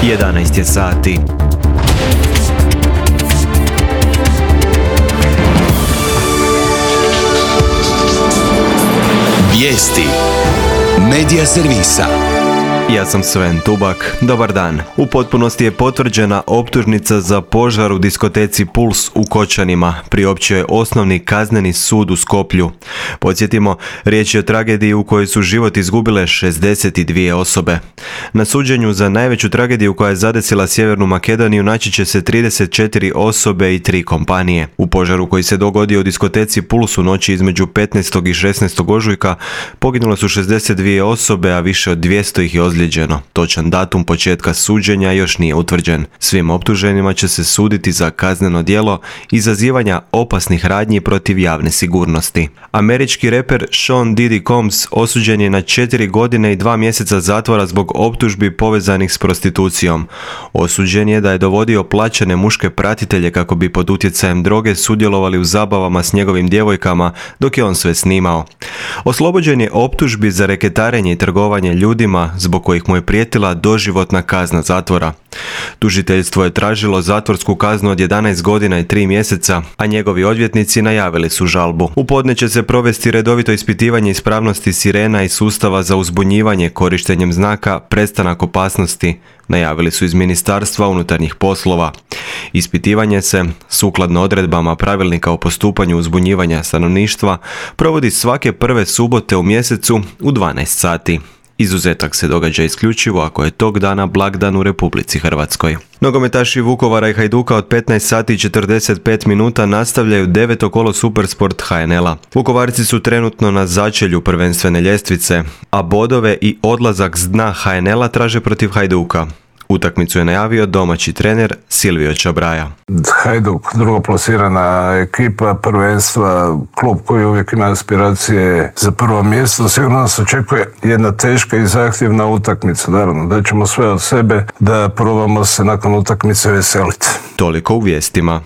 11 je sati. Vijesti Medija servisa. Ja sam Sven Tubak. Dobar dan. U potpunosti je potvrđena optužnica za požar u diskoteci Puls u Kočanima. Priopćio je osnovni kazneni sud u Skoplju. Podsjetimo, riječ je o tragediji u kojoj su život izgubile 62 osobe. Na suđenju za najveću tragediju koja je zadesila Sjevernu Makedoniju naći će se 34 osobe i 3 kompanije. U požaru koji se dogodio u diskoteci Puls u noći između 15. i 16. ožujka poginule su 62 osobe, a više od 200 ih je ozlijeđeno. Točan datum početka suđenja još nije utvrđen. Svim optuženima će se suditi za kazneno djelo izazivanja opasnih radnji protiv javne sigurnosti. Američki reper Sean Diddy Combs osuđen je na 4 godine i 2 mjeseca zatvora zbog optužbi povezanih s prostitucijom. Osuđen je da je dovodio plaćene muške pratitelje kako bi pod utjecajem droge sudjelovali u zabavama s njegovim djevojkama dok je on sve snimao. Oslobođen je optužbi za reketarenje i trgovanje ljudima zbog kojih mu je prijetila doživotna kazna zatvora. Tužiteljstvo je tražilo zatvorsku kaznu od 11 godina i 3 mjeseca, a njegovi odvjetnici najavili su žalbu. U podne će se provesti redovito ispitivanje ispravnosti sirena i sustava za uzbunjivanje korištenjem znaka prestanak opasnosti, najavili su iz Ministarstva unutarnjih poslova. Ispitivanje se, sukladno odredbama pravilnika o postupanju uzbunjivanja stanovništva, provodi svake prve subote u mjesecu u 12 sati. Izuzetak se događa isključivo ako je tog dana blagdan u Republici Hrvatskoj. Nogometaši Vukovara i Hajduka od 15 sati i 45 minuta nastavljaju 9. kolo Supersport HNL-a. Vukovarci su trenutno na začelju prvenstvene ljestvice, a bodove i odlazak s dna HNL-a traže protiv Hajduka. Utakmicu je najavio domaći trener Silvio Čabraja. Hajduk, drugoplasirana ekipa prvenstva, klub koji uvijek ima aspiracije za prvo mjesto. Sigurno nas očekuje jedna teška i zahtjevna utakmica. Naravno, da ćemo sve od sebe da probamo se nakon utakmice veseliti. Toliko u vijestima.